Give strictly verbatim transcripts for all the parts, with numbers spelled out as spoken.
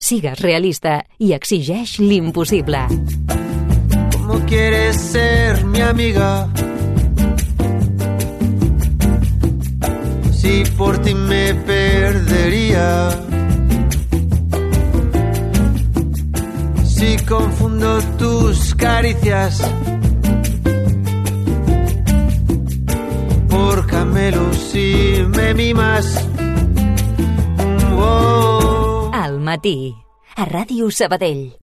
Sigues realista i exigeix l'impossible. ¿Cómo quieres ser mi amiga? Si por ti me perdería. Si confundo tus caricias por camelos y me mimas. Oh. Al matí, a Ràdio Sabadell.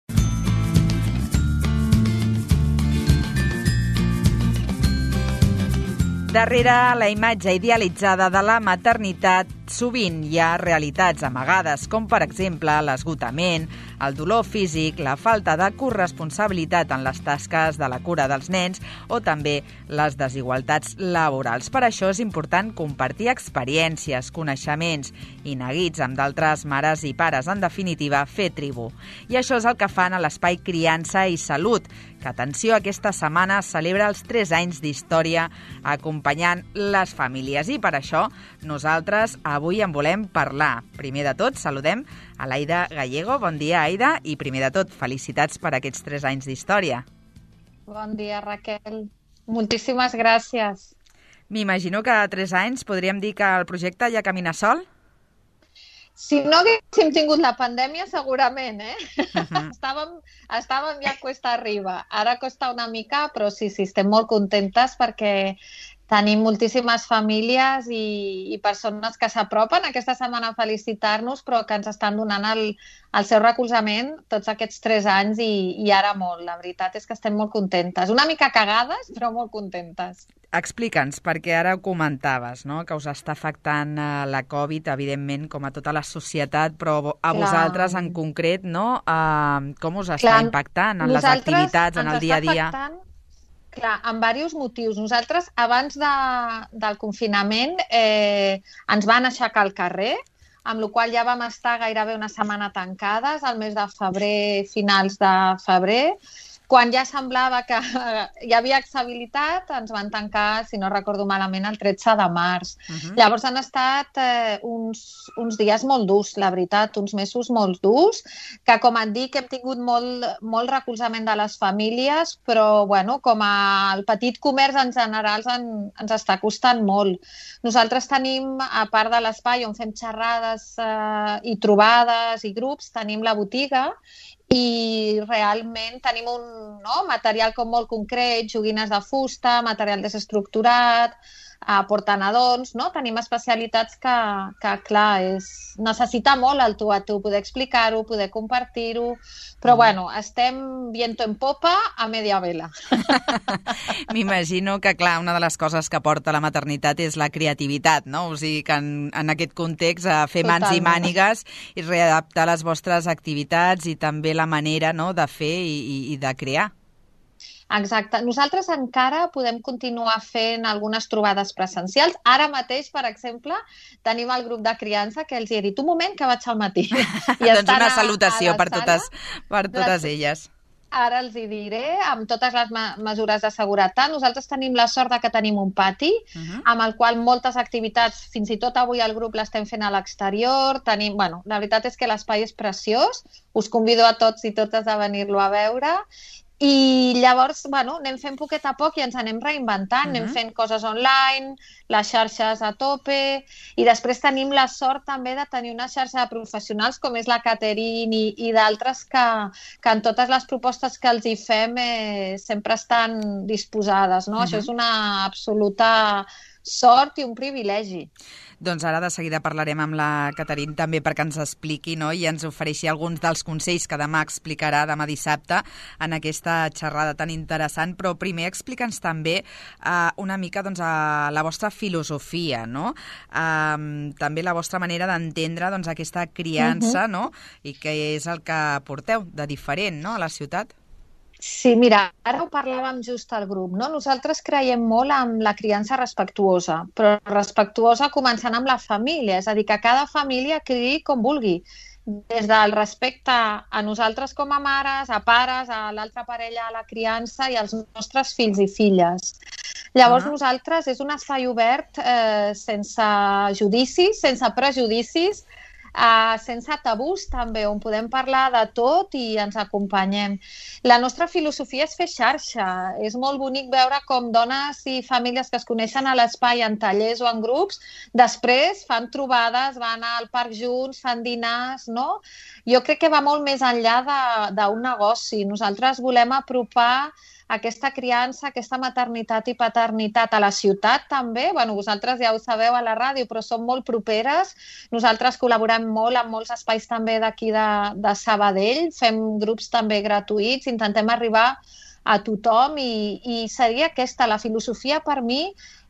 Darrere la imatge idealitzada de la maternitat sovint hi ha realitats amagades, com per exemple l'esgotament, el dolor físic, la falta de corresponsabilitat en les tasques de la cura dels nens o també les desigualtats laborals. Per això és important compartir experiències, coneixements i neguits amb d'altres mares i pares, en definitiva, fer tribu. I això és el que fan a l'Espai Criança i Salut, que, atenció, aquesta setmana celebra els tres anys d'història acompanyant les famílies. I per això nosaltres avui en volem parlar. Primer de tot, saludem a l'Aida Gallego. Bon dia, Aida, i primer de tot, felicitats per aquests tres anys d'història. Bon dia, Raquel. Moltíssimes gràcies. M'imagino que a tres anys podríem dir que el projecte ja camina sol? Si no haguéssim tingut la pandèmia, segurament, eh? Uh-huh. estàvem, estàvem ja cuesta arriba. Ara costa una mica, però sí, sí, estem molt contentes perquè tenim moltíssimes famílies i, i persones que s'apropen aquesta setmana a felicitar-nos, però que ens estan donant el, el seu recolzament tots aquests tres anys i, i ara molt. La veritat és que estem molt contentes. Una mica cagades, però molt contentes. Explica'ns, perquè ara ho comentaves, no? Que us està afectant la Covid, evidentment, com a tota la societat, però a Clar. vosaltres en concret, no? Uh, com us està Clar. impactant en les activitats, en el dia a dia? Afectant... Clar, amb diversos motius. Nosaltres, abans de, del confinament, eh, ens van aixecar al carrer, amb la qual ja vam estar gairebé una setmana tancades, al mes de febrer, finals de febrer. Quan ja semblava que hi havia estabilitat, ens van tancar, si no recordo malament, el tretze de març. Uh-huh. Llavors han estat eh, uns, uns dies molt durs, la veritat, uns mesos molt durs, que, com et dic, hem tingut molt, molt recolzament de les famílies, però, bueno, com a el petit comerç en general en, ens està costant molt. Nosaltres tenim, a part de l'espai on fem xerrades eh, i trobades i grups, tenim la botiga i realment tenim un no, material com molt concret, joguines de fusta, material desestructurat, eh, portanadons, no? Tenim especialitats que, que clar, és, necessita molt el tu a tu, poder explicar-ho, poder compartir-ho, però mm. bueno, estem viento en popa a media vela. M'imagino que, clar, una de les coses que porta la maternitat és la creativitat, no? O sigui que en, en aquest context eh, fer Totalment. mans i mànigues i readaptar les vostres activitats i també la manera, no, de fer i, i, i de crear. Exacte. Nosaltres encara podem continuar fent algunes trobades presencials. Ara mateix, per exemple, tenim el grup de criança que els he dit un moment que vaig al matí. I doncs una salutació a, a per, totes, per totes les... elles. Ara els hi diré, amb totes les me mesures de seguretat. Nosaltres tenim la sort de que tenim un pati, uh-huh. amb el qual moltes activitats, fins i tot avui el grup l'estem fent a l'exterior. Tenim, bueno, la veritat és que l'espai és preciós. Us convido a tots i totes a venir-lo a veure. I llavors, bueno, anem fent poquet a poc i ens anem reinventant, uh-huh. anem fent coses online, les xarxes a tope, i després tenim la sort també de tenir una xarxa de professionals com és la Caterine i, i d'altres que, que en totes les propostes que els hi fem eh, sempre estan disposades, no? Uh-huh. Això és una absoluta sort i un privilegi. Doncs ara de seguida parlarem amb la Caterine també perquè ens expliqui, no?, i ens ofereixi alguns dels consells que demà explicarà, demà dissabte, en aquesta xerrada tan interessant. Però primer explica'ns també uh, una mica doncs, uh, la vostra filosofia, no? Uh, també la vostra manera d'entendre doncs, aquesta criança, uh-huh. no?, i què és el que porteu de diferent, no?, a la ciutat. Sí, mira, ara ho parlàvem just al grup, no? Nosaltres creiem molt en la criança respectuosa, però respectuosa començant amb la família, és a dir, que cada família criï com vulgui, des del respecte a nosaltres com a mares, a pares, a l'altra parella, a la criança i als nostres fills i filles. Llavors, uh-huh. nosaltres és un espai obert eh, sense judicis, sense prejudicis, uh, sense tabús també, on podem parlar de tot i ens acompanyem. La nostra filosofia és fer xarxa. És molt bonic veure com dones i famílies que es coneixen a l'espai en tallers o en grups, després fan trobades, van al parc junts, fan dinars, no? Jo crec que va molt més enllà d'un negoci. Nosaltres volem apropar aquesta criança, aquesta maternitat i paternitat a la ciutat també. Bueno, vosaltres ja ho sabeu a la ràdio, però som molt properes. Nosaltres col·laborem molt amb molts espais també d'aquí de, de Sabadell, fem grups també gratuïts, intentem arribar a tothom i, i seria aquesta la filosofia per mi,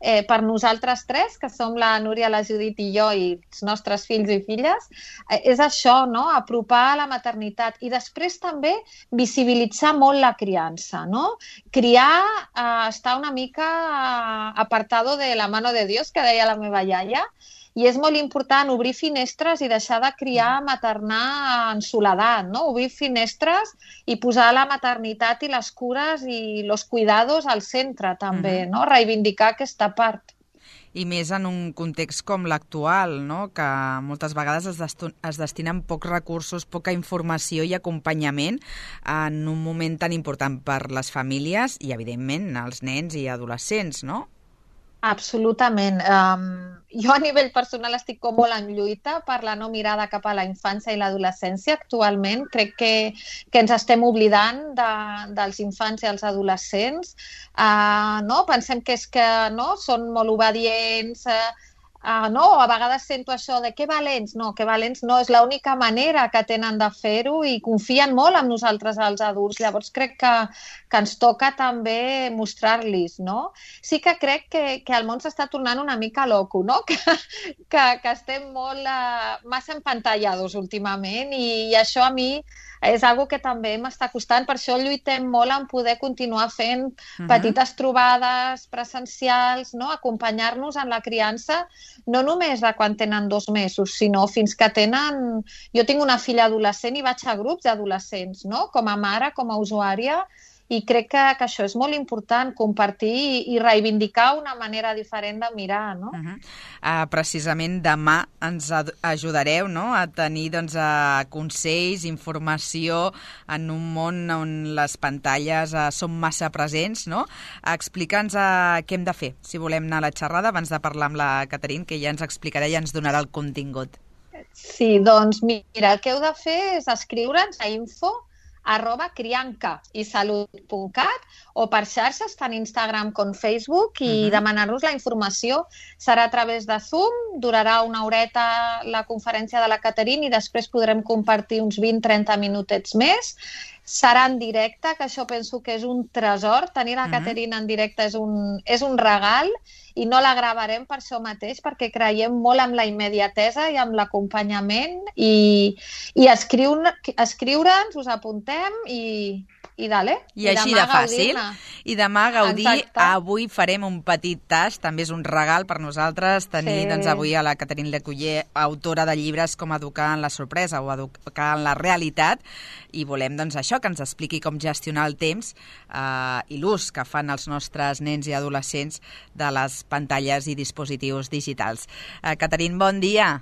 eh, per nosaltres tres, que som la Núria, la Judit i jo i els nostres fills i filles, eh, és això, no? Apropar la maternitat i després també visibilitzar molt la criança, no? Criar eh, està una mica eh, apartado de la mano de Dios, que deia la meva iaia, i és molt important obrir finestres i deixar de criar, maternar en soledat, no? Obrir finestres i posar la maternitat i les cures i els cuidados al centre també, mm-hmm. no? Reivindicar aquesta part. I més en un context com l'actual, no? Que moltes vegades es, es destinen pocs recursos, poca informació i acompanyament en un moment tan important per les famílies i, evidentment, els nens i adolescents, no? Absolutament. Um, jo a nivell personal estic com molt en lluita per la no mirada cap a la infància i l'adolescència actualment. Crec que, que ens estem oblidant de, dels infants i els adolescents. Uh, no? Pensem que és que no? Són molt obedients, uh, Uh, no, a vegades sento això de que valents. No, que valents no, és l'única manera que tenen de fer-ho i confien molt en nosaltres els adults. Llavors crec que, que ens toca també mostrar-los, no? Sí que crec que, que el món s'està tornant una mica loco, no? Que, que, que estem molt uh, massa empantallados últimament i, i això a mi és algo que també m'està costant, per això lluitem molt en poder continuar fent uh-huh. petites trobades presencials, no? Acompanyar-nos en la criança, no només de quan tenen dos mesos, sinó fins que tenen... Jo tinc una filla adolescent i vaig a grups d'adolescents, no? Com a mare, com a usuària, i crec que, que això és molt important, compartir i, i reivindicar una manera diferent de mirar, no? Uh-huh. uh, precisament demà ens ajudareu, no? A tenir doncs, uh, consells, informació en un món on les pantalles uh, són massa presents, no? Explica'ns uh, què hem de fer si volem anar a la xerrada abans de parlar amb la Caterine, que ja ens explicarà i ens donarà el contingut. Sí, doncs mira, el que heu de fer és escriure'ns a info arroba crianca i salut punt cat o per xarxes, tant Instagram com Facebook, i uh-huh. demanar-nos la informació. Serà a través de Zoom, durarà una horeta la conferència de la Caterine i després podrem compartir uns vint a trenta minutets més. Serà en directe, que això penso que és un tresor. Tenir la uh-huh. Caterine en directe és un, és un regal i no la gravarem per això mateix, perquè creiem molt en la immediatesa i en l'acompanyament i, i escriure, escriure'ns, us apuntem i, i dale. I, I així de fàcil. I demà gaudir. Exacte. Avui farem un petit tast, també és un regal per nosaltres tenir sí. doncs, avui a la Caterine Lecuyer, autora de llibres com Educar en la sorpresa o Educar en la realitat, i volem doncs, això, que ens expliqui com gestionar el temps eh, i l'ús que fan els nostres nens i adolescents de les pantalles i dispositius digitals. Eh, Caterine, bon dia.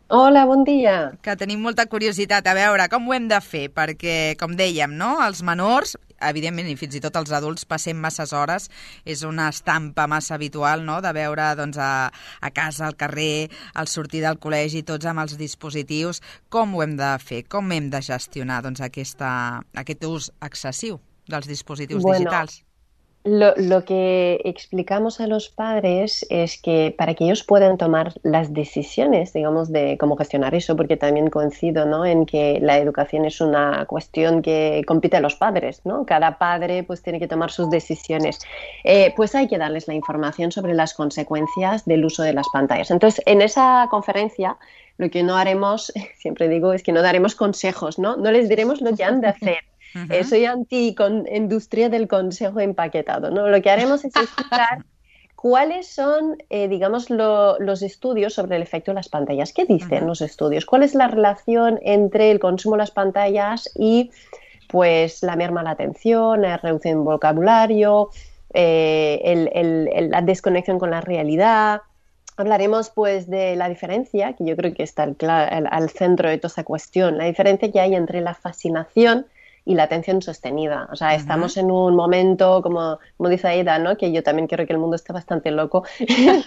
Hola, bon dia. Que tenim molta curiositat a veure com ho hem de fer, perquè, com dèiem, no? Els menors, evidentment, i fins i tot els adults, passem masses hores, és una estampa massa habitual, no?, de veure doncs, a, a casa, al carrer, al sortir del col·legi, tots amb els dispositius. Com ho hem de fer? Com hem de gestionar doncs, aquesta, aquest ús excessiu dels dispositius bueno. digitals? Lo, lo que explicamos a los padres es que para que ellos puedan tomar las decisiones, digamos, de cómo gestionar eso, porque también coincido, ¿no?, en que la educación es una cuestión que compete a los padres, ¿no? Cada padre pues tiene que tomar sus decisiones. Eh, pues hay que darles la información sobre las consecuencias del uso de las pantallas. Entonces, en esa conferencia, lo que no haremos, siempre digo, es que no daremos consejos, ¿no? No les diremos lo que han de hacer. Uh-huh. Eh, soy anti-industria del consejo empaquetado, ¿no? Lo que haremos es explicar cuáles son, eh, digamos, lo, los estudios sobre el efecto de las pantallas. ¿Qué dicen uh-huh. los estudios? ¿Cuál es la relación entre el consumo de las pantallas y, pues, la merma de la atención, la reducción del vocabulario, eh, el, el, el, la desconexión con la realidad? hablaremos pues de la diferencia, que yo creo que está al, al, al centro de toda esta cuestión, la diferencia que hay entre la fascinación y la atención sostenida. O sea, uh-huh. estamos en un momento, como, como dice Aida, ¿no? Que yo también creo que el mundo está bastante loco, en,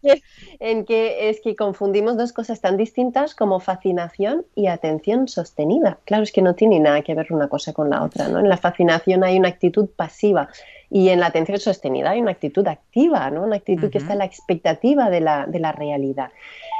que, en que es que confundimos dos cosas tan distintas como fascinación y atención sostenida. Claro, es que no tiene nada que ver una cosa con la otra, ¿no? En la fascinación hay una actitud pasiva y en la atención sostenida hay una actitud activa, ¿no? Una actitud uh-huh. que está en la expectativa de la, de la realidad.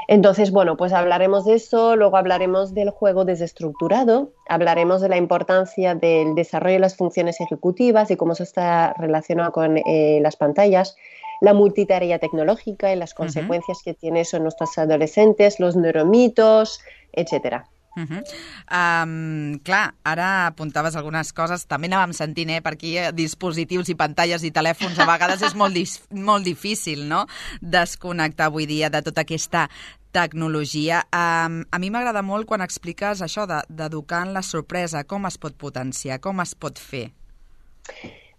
Entonces, bueno, pues hablaremos de eso, luego hablaremos del juego desestructurado, hablaremos de la importancia del desarrollo de las funciones ejecutivas y cómo eso está relacionado con eh, las pantallas, la multitarea tecnológica y las consecuencias uh-huh. que tiene eso en nuestros adolescentes, los neuromitos, etcétera. Uh-huh. Um, clar, ara apuntaves algunes coses, també anàvem sentint eh, per aquí eh, dispositius i pantalles i telèfons, a vegades és molt, dis- molt difícil, no?, desconnectar avui dia de tota aquesta tecnologia. Um, a mi m'agrada molt quan expliques això de, d'educar en la sorpresa, com es pot potenciar, com es pot fer.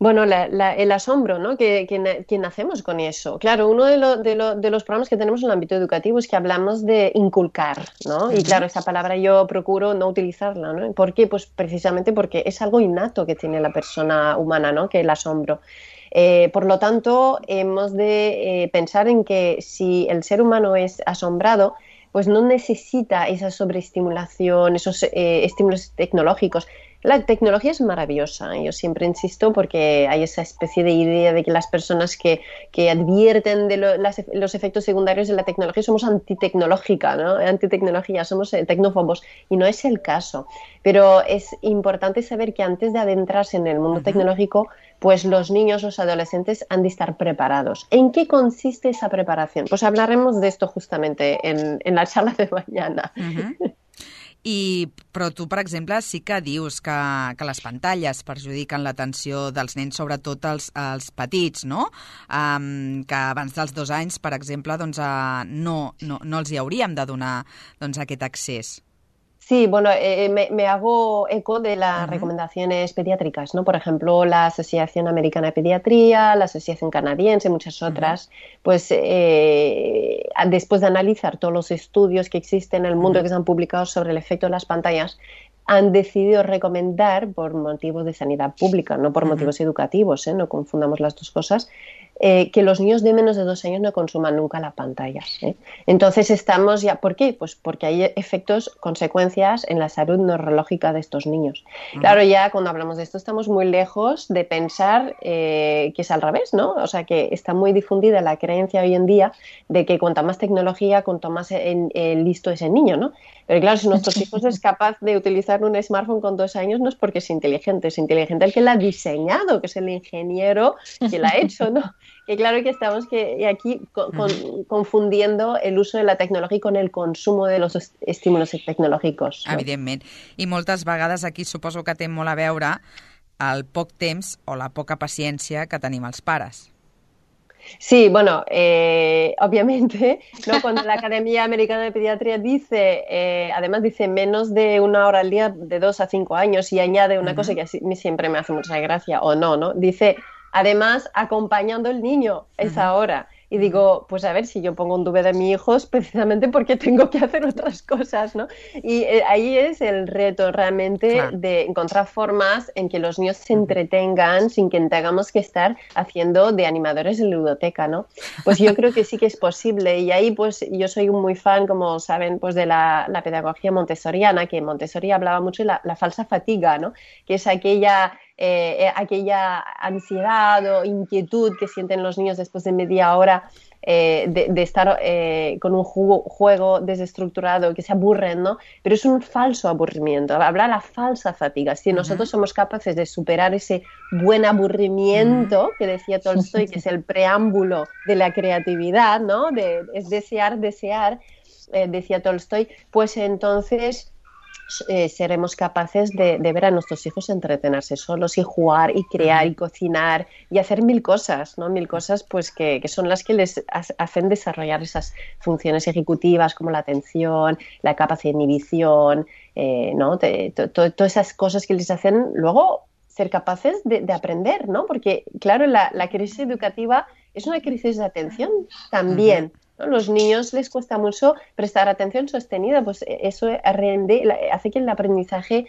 Bueno, la, la, el asombro, ¿no? Que, que, que nacemos con eso. Claro, uno de, lo, de, lo, de los programas que tenemos en el ámbito educativo es que hablamos de inculcar, ¿no? Y claro, esa palabra yo procuro no utilizarla, ¿no? ¿Por qué? Pues precisamente porque es algo innato que tiene la persona humana, ¿no? Que el asombro. Eh, por lo tanto, hemos de eh, pensar en que si el ser humano es asombrado, pues no necesita esa sobreestimulación, esos eh, estímulos tecnológicos. La tecnología es maravillosa, yo siempre insisto, porque hay esa especie de idea de que las personas que, que advierten de lo, las, los efectos secundarios de la tecnología somos antitecnológica, ¿no? Antitecnología, somos tecnófobos, y no es el caso. Pero es importante saber que antes de adentrarse en el mundo uh-huh. tecnológico, pues los niños, los adolescentes han de estar preparados. ¿En qué consiste esa preparación? Pues hablaremos de esto justamente en, en la charla de mañana. Uh-huh. I, però tu, per exemple, sí que dius que, que les pantalles perjudiquen l'atenció dels nens, sobretot els, els petits, no? Um, que abans dels dos anys, per exemple, doncs, uh, no, no, no els hi hauríem de donar doncs, aquest accés. Sí, bueno, eh, me, me hago eco de las uh-huh. recomendaciones pediátricas, ¿no? Por ejemplo, la Asociación Americana de Pediatría, la Asociación Canadiense, muchas otras, uh-huh. pues eh, después de analizar todos los estudios que existen en el mundo uh-huh. que se han publicado sobre el efecto de las pantallas, han decidido recomendar, por motivos de sanidad pública, no por uh-huh. motivos educativos, ¿eh? No confundamos las dos cosas, eh, que los niños de menos de dos años no consuman nunca las pantallas, ¿eh? Entonces estamos ya... ¿Por qué? Pues porque hay efectos, consecuencias en la salud neurológica de estos niños. Uh-huh. Claro, ya cuando hablamos de esto estamos muy lejos de pensar eh, que es al revés, ¿no? O sea, que está muy difundida la creencia hoy en día de que cuanta más tecnología, cuanto más en, eh, listo es el niño, ¿no? Pero claro, si nuestros hijos es capaz de utilizar un smartphone con dos años, no es porque es inteligente, es inteligente el que la ha diseñado, que es el ingeniero que la ha hecho, ¿no? Que claro que estamos que aquí con, con, confundiendo el uso de la tecnología con el consumo de los estímulos tecnològics. No? Evidentment. I moltes vegades aquí suposo que té molt a veure el poc temps o la poca paciència que tenim els pares. Sí, bueno, eh, obviamente, ¿no? Cuando la Academia Americana de Pediatría dice, eh, además dice menos de una hora al día de dos a cinco años y añade una uh-huh. cosa que a mí siempre me hace mucha gracia, o no, ¿no? Dice, además, acompañando al niño esa uh-huh. hora. Y digo, pues a ver, si yo pongo un D V D a mi hijo es precisamente porque tengo que hacer otras cosas, ¿no? Y eh, ahí es el reto realmente claro. de encontrar formas en que los niños se entretengan sin que tengamos que estar haciendo de animadores de ludoteca, ¿no? Pues yo creo que sí que es posible. Y ahí pues yo soy muy fan, como saben, pues de la, la pedagogía montessoriana, que Montessori hablaba mucho de la, la falsa fatiga, ¿no? Que es aquella... Eh, aquella ansiedad o inquietud que sienten los niños después de media hora eh, de, de estar eh, con un juego, juego desestructurado, que se aburren, ¿no? Pero es un falso aburrimiento, habla la falsa fatiga. Si uh-huh. nosotros somos capaces de superar ese buen aburrimiento uh-huh. que decía Tolstoy, que es el preámbulo de la creatividad, ¿no? De, es desear, desear, eh, decía Tolstoy, pues entonces... Eh, seremos capaces de, de ver a nuestros hijos entretenerse solos y jugar y crear y cocinar y hacer mil cosas, ¿no? Mil cosas pues que, que son las que les hacen desarrollar esas funciones ejecutivas como la atención, la capacidad de inhibición, eh, ¿no? Te, to, to, todas esas cosas que les hacen luego ser capaces de, de aprender, ¿no? Porque, claro, la, la crisis educativa es una crisis de atención también. Uh-huh. ¿no? Los niños les cuesta mucho prestar atención sostenida, pues eso rende, hace que el aprendizaje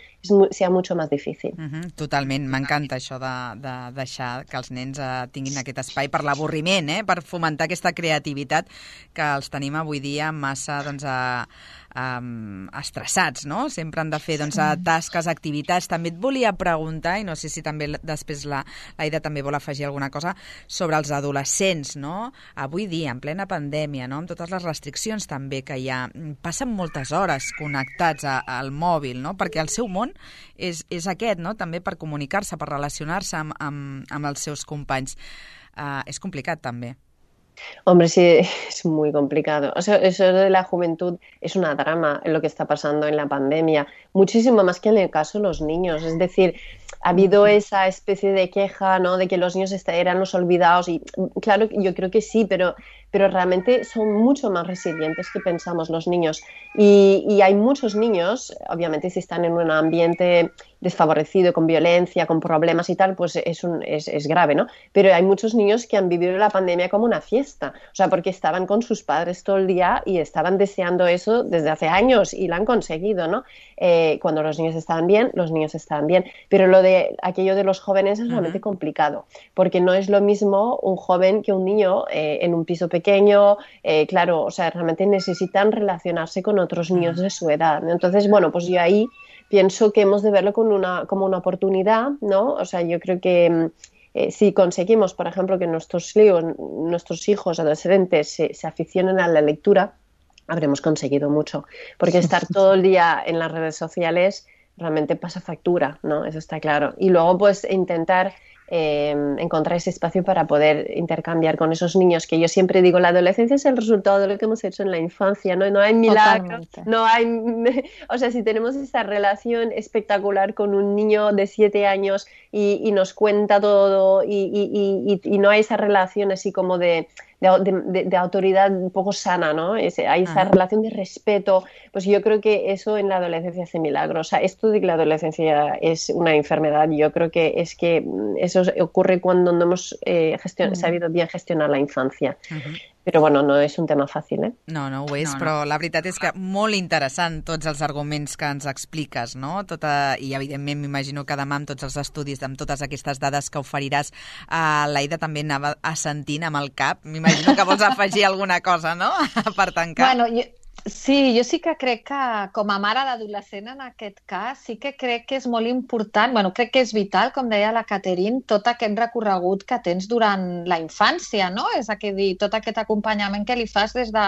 sea mucho más difícil. Uh-huh, totalment, m'encanta això de, de deixar que els nens eh, tinguin aquest espai per l'avorriment, eh? Per fomentar aquesta creativitat que els tenim avui dia massa doncs, a, um, estressats, no? Sempre han de fer doncs, a tasques, activitats. També et volia preguntar, i no sé si també després la l'Aida també vol afegir alguna cosa, sobre els adolescents, no? Avui dia, en plena pandèmia, no? Amb totes les restriccions també que hi ha, passen moltes hores connectats a, al mòbil, no? Perquè el seu món és, és aquest, no? També per comunicar-se, per relacionar-se amb, amb, amb els seus companys. Uh, és complicat també. Hombre, sí, es muy complicado. O sea, eso de la juventud es una drama en lo que está pasando en la pandemia, muchísimo más que en el caso de los niños. Es decir, ha habido esa especie de queja, ¿no?, de que los niños eran los olvidados y claro, yo creo que sí, pero, pero realmente son mucho más resilientes que pensamos los niños. Y, y hay muchos niños, obviamente si están en un ambiente desfavorecido, con violencia, con problemas y tal, pues es, un, es, es grave, ¿no? Pero hay muchos niños que han vivido la pandemia como una fiesta, o sea, porque estaban con sus padres todo el día y estaban deseando eso desde hace años y lo han conseguido, ¿no? Eh, cuando los niños estaban bien, los niños estaban bien, pero lo de aquello de los jóvenes es realmente uh-huh. complicado, porque no es lo mismo un joven que un niño eh, en un piso pequeño, eh, claro, o sea, realmente necesitan relacionarse con otros niños uh-huh. de su edad, ¿no? Entonces, bueno, pues yo ahí pienso que hemos de verlo con una, como una oportunidad, ¿no? O sea, yo creo que eh, si conseguimos, por ejemplo, que nuestros hijos, nuestros hijos adolescentes se, se aficionen a la lectura, habremos conseguido mucho. Porque estar todo el día en las redes sociales realmente pasa factura, ¿no? Eso está claro. Y luego, pues, intentar eh, encontrar ese espacio para poder intercambiar con esos niños, que yo siempre digo, la adolescencia es el resultado de lo que hemos hecho en la infancia, ¿no? No hay milagro, no hay... O sea, si tenemos esa relación espectacular con un niño de siete años y, y nos cuenta todo y, y, y, y no hay esa relación así como de... De, de, de autoridad un poco sana, ¿no? Es, hay esa Ajá. relación de respeto, pues yo creo que eso en la adolescencia hace milagros. O sea, esto de que la adolescencia es una enfermedad, yo creo que es que eso ocurre cuando no hemos eh, gestion- uh-huh. sabido bien gestionar la infancia. Uh-huh. Però, bueno, no és un tema fàcil, eh? No, no ho és, no, no. Però la veritat és que molt interessant tots els arguments que ens expliques, no? Tota, i, evidentment, m'imagino que demà amb tots els estudis, amb totes aquestes dades que oferiràs, uh, l'Aida també anava assentint amb el cap. M'imagino que vols afegir alguna cosa, no?, per tancar. Bueno, jo... Sí, jo sí que crec que com a mare d'adolescent en aquest cas sí que crec que és molt important, bueno, crec que és vital, com deia la Caterine, tot aquest recorregut que tens durant la infància, no? És a dir, tot aquest acompanyament que li fas des de,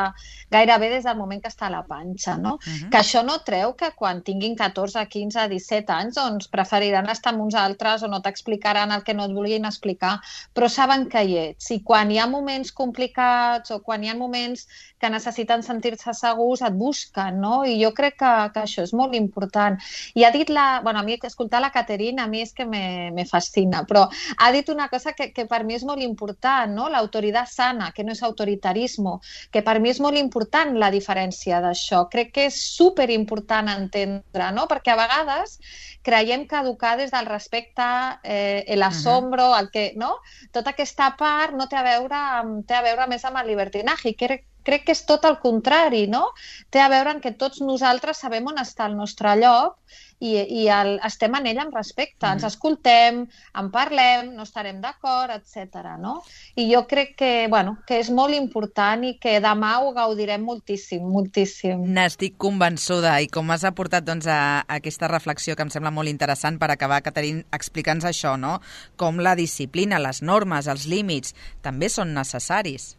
gairebé des del moment que està a la panxa, no? Uh-huh. Que això no treu que quan tinguin catorze, quinze, disset anys doncs preferiran estar amb uns altres o no t'explicaran el que no et vulguin explicar, però saben que hi ets. I quan hi ha moments complicats o quan hi ha moments que necessiten sentir-se segurs, et busquen, no? I jo crec que, que això és molt important. I ha dit la... Bueno, a mi escoltar la Caterine a mi és que me, me fascina, però ha dit una cosa que, que per mi és molt important, no? L'autoritat sana, que no és autoritarisme, que per mi és molt important la diferència d'això. Crec que és superimportant entendre, no? Perquè a vegades creiem que educar des del respecte, eh, l'asombro, el que, no? Tota aquesta part no té a veure amb, té a veure més amb el libertinaje. Crec Crec que és tot el contrari, no? Té a veure en que tots nosaltres sabem on està el nostre lloc i, i el, estem en ell amb respecte. Mm. Ens escoltem, en parlem, no estarem d'acord, etcètera. No? I jo crec que, bueno, que és molt important i que demà ho gaudirem moltíssim, moltíssim. N'estic convençuda. I com has aportat doncs, a, a aquesta reflexió que em sembla molt interessant per acabar, Caterine, explica'ns això, no? Com la disciplina, les normes, els límits, també són necessaris.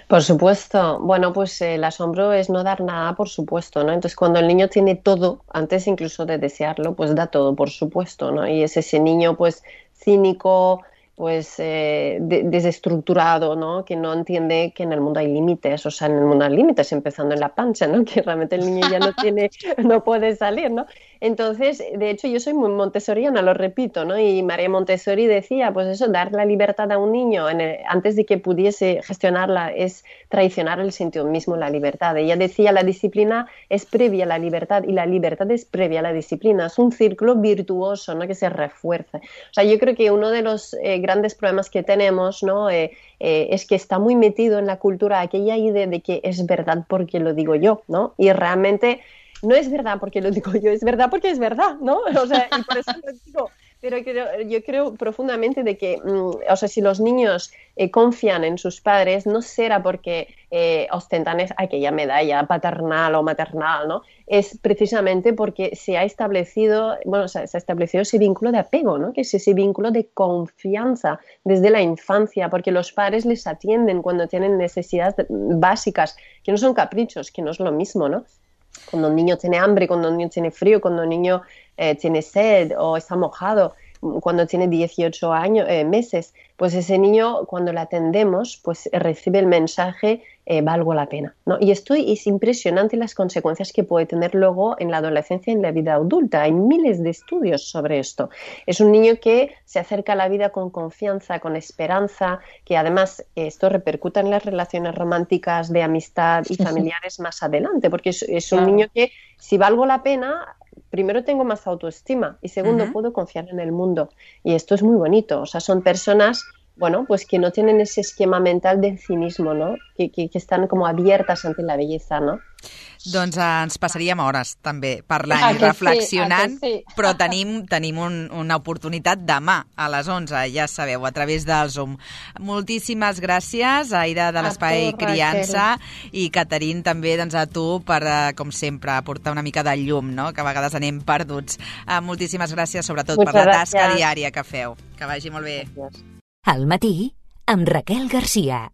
Por supuesto. Bueno, pues eh, el asombro es no dar nada, por supuesto, ¿no? Entonces, cuando el niño tiene todo, antes incluso de desearlo, pues da todo, por supuesto, ¿no? Y es ese niño, pues, cínico, pues, eh, de- desestructurado, ¿no? Que no entiende que en el mundo hay límites, o sea, en el mundo hay límites, empezando en la pancha, ¿no? Que realmente el niño ya no tiene, no puede salir, ¿no? Entonces, de hecho, yo soy muy montessoriana, lo repito, ¿no? Y María Montessori decía, pues eso, dar la libertad a un niño en el, antes de que pudiese gestionarla es traicionar el sentido mismo, la libertad. Ella decía, la disciplina es previa a la libertad y la libertad es previa a la disciplina. Es un círculo virtuoso, ¿no? Que se refuerza. O sea, yo creo que uno de los eh, grandes problemas que tenemos, ¿no? Eh, eh, es que está muy metido en la cultura aquella idea de que es verdad porque lo digo yo, ¿no? Y realmente no es verdad porque lo digo yo, es verdad porque es verdad, ¿no? O sea, y por eso lo digo. Pero creo, yo creo profundamente de que, mm, o sea, si los niños eh, confían en sus padres, no será porque eh, ostentan es, aquella medalla paternal o maternal, ¿no? Es precisamente porque se ha establecido, bueno, se ha, se ha establecido ese vínculo de apego, ¿no? Que es ese vínculo de confianza desde la infancia, porque los padres les atienden cuando tienen necesidades básicas, que no son caprichos, que no es lo mismo, ¿no? Cuando un niño tiene hambre, cuando un niño tiene frío, cuando un niño eh, tiene sed o está mojado, cuando tiene dieciocho años, eh, meses, pues ese niño, cuando le atendemos, pues recibe el mensaje, eh, valgo la pena, ¿no? Y esto es impresionante las consecuencias que puede tener luego en la adolescencia y en la vida adulta. Hay miles de estudios sobre esto. Es un niño que se acerca a la vida con confianza, con esperanza, que además esto repercuta en las relaciones románticas, de amistad y familiares más adelante, porque es, es un Claro. niño que, si valgo la pena, primero tengo más autoestima y segundo Ujú. puedo confiar en el mundo. Y esto es muy bonito. O sea, son personas, bueno, pues que no tienen ese esquema mental de cinismo, ¿no? Que, que, que están como abiertas ante la belleza, ¿no? Doncs eh, ens passaríem hores també parlant Ah, i que sí, reflexionant, ah, que sí. però tenim, tenim un, una oportunitat demà a les onze, ja sabeu, a través del Zoom. Moltíssimes gràcies, Aida de A l'Espai tu, Criança, i Caterin també doncs, a tu per, eh, com sempre, aportar una mica de llum, no? Que a vegades anem perduts. Eh, moltíssimes gràcies, sobretot, Muchas per la tasca gracias. diària que feu. Que vagi molt bé. Gracias. Al matí, amb Raquel Garcia.